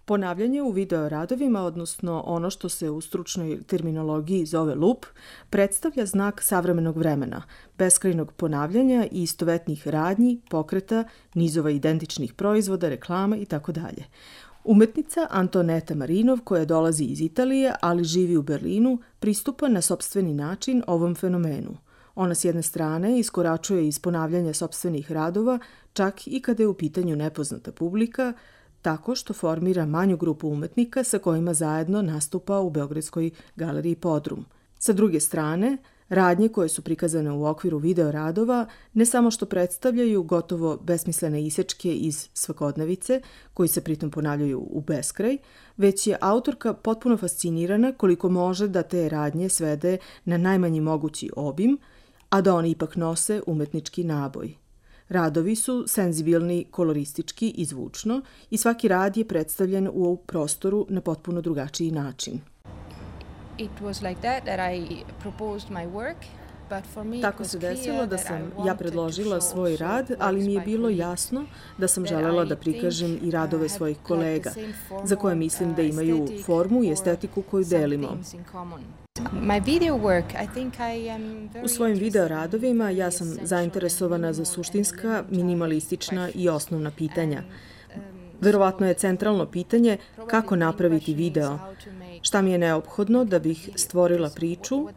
Ponavljanje u videoradovima, odnosno ono što se u stručnoj terminologiji zove loop, predstavlja znak savremenog vremena, beskrajnog ponavljanja i istovetnih radnji, pokreta, nizova identičnih proizvoda, reklama itd. Umetnica Antoneta Marinov, koja dolazi iz Italije, ali živi u Berlinu, pristupa na sopstveni način ovom fenomenu. Ona s jedne strane iskoračuje iz ponavljanja sopstvenih radova, čak i kada je u pitanju nepoznata publika, tako što formira manju grupu umetnika sa kojima zajedno nastupa u Beogradskoj galeriji Podrum. Sa druge strane, radnje koje su prikazane u okviru videoradova ne samo što predstavljaju gotovo besmislene isečke iz svakodnevice, koji se pritom ponavljaju u beskraj, već je autorka potpuno fascinirana koliko može da te radnje svede na najmanji mogući obim, a da oni ipak nose umetnički naboj. Radovi su senzibilni, koloristički i zvučno i svaki rad je predstavljen u prostoru na potpuno drugačiji način. Tako se desilo da sam ja predložila svoj rad, ali mi je bilo jasno da sam želela da prikažem i radove svojih kolega, za koje mislim da imaju formu i estetiku koju delimo. U svojim videoradovima ja sam zainteresovana za suštinska, minimalistična i osnovna pitanja. Verovatno je centralno pitanje kako napraviti video, šta mi je neophodno da bih stvorila priču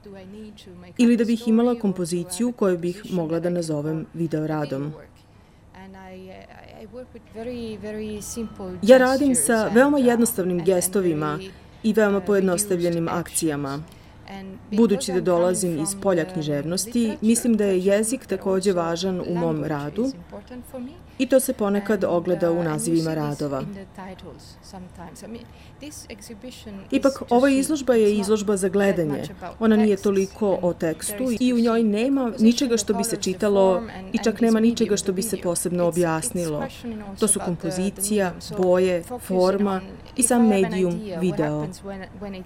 ili da bih imala kompoziciju koju bih mogla da nazovem videoradom. Ja radim sa veoma jednostavnim gestovima i veoma pojednostavljenim akcijama. Budući da dolazim iz polja književnosti, mislim da je jezik takođe važan u mom radu i to se ponekad ogleda u nazivima radova. Ipak, ova izložba je izložba za gledanje. Ona nije toliko o tekstu i u njoj nema ničega što bi se čitalo i čak nema ničega što bi se posebno objasnilo. To su kompozicija, boje, forma i sam medijum video.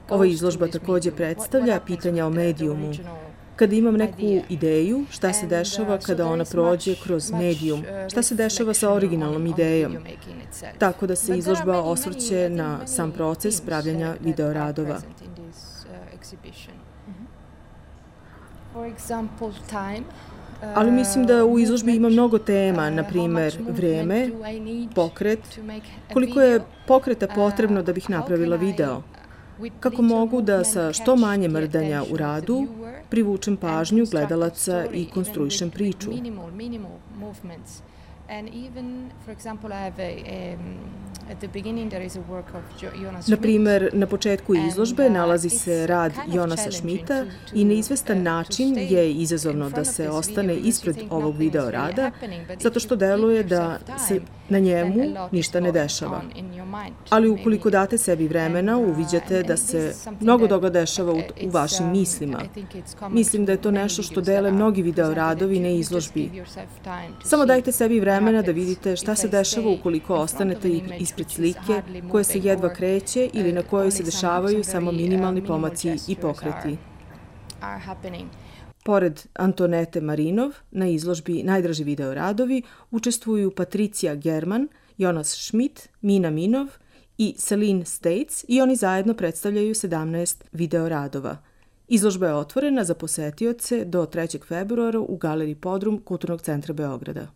Ova izložba takođe predstavlja pitanja o medijumu. Kada imam neku ideju, šta se dešava kada ona prođe kroz medijum, šta se dešava sa originalnom idejom, tako da se izložba osvrće na sam proces pravljanja videoradova. Ali mislim da u izložbi ima mnogo tema, na primer vreme, pokret, koliko je pokreta potrebno da bih napravila video, kako mogu da sa što manje mrdanja u radu privučem pažnju gledalaca i konstruišem priču. Na primer, na početku izložbe nalazi se rad Jonasa Schmidta i na izvestan način je izazovno da se ostane ispred ovog video rada, zato što deluje da se na njemu ništa ne dešava. Ali ukoliko date sebi vremena, uviđate da se mnogo toga dešava u vašim mislima. Mislim da je to nešto što dele mnogi video radovi na izložbi. Samo dajte sebi vremena da vidite šta se dešava ukoliko ostanete ispred slike koja se jedva kreće ili na kojoj se dešavaju samo minimalni pomaci i pokreti. Pored Antonete Marinov, na izložbi Najdraži video radovi učestvuju Patricija German, Jonas Schmidt, Mina Minov i Celine States i oni zajedno predstavljaju 17 video radova. Izložba je otvorena za posetioce do 3. februara u galeriji Podrum Kulturnog centra Beograda.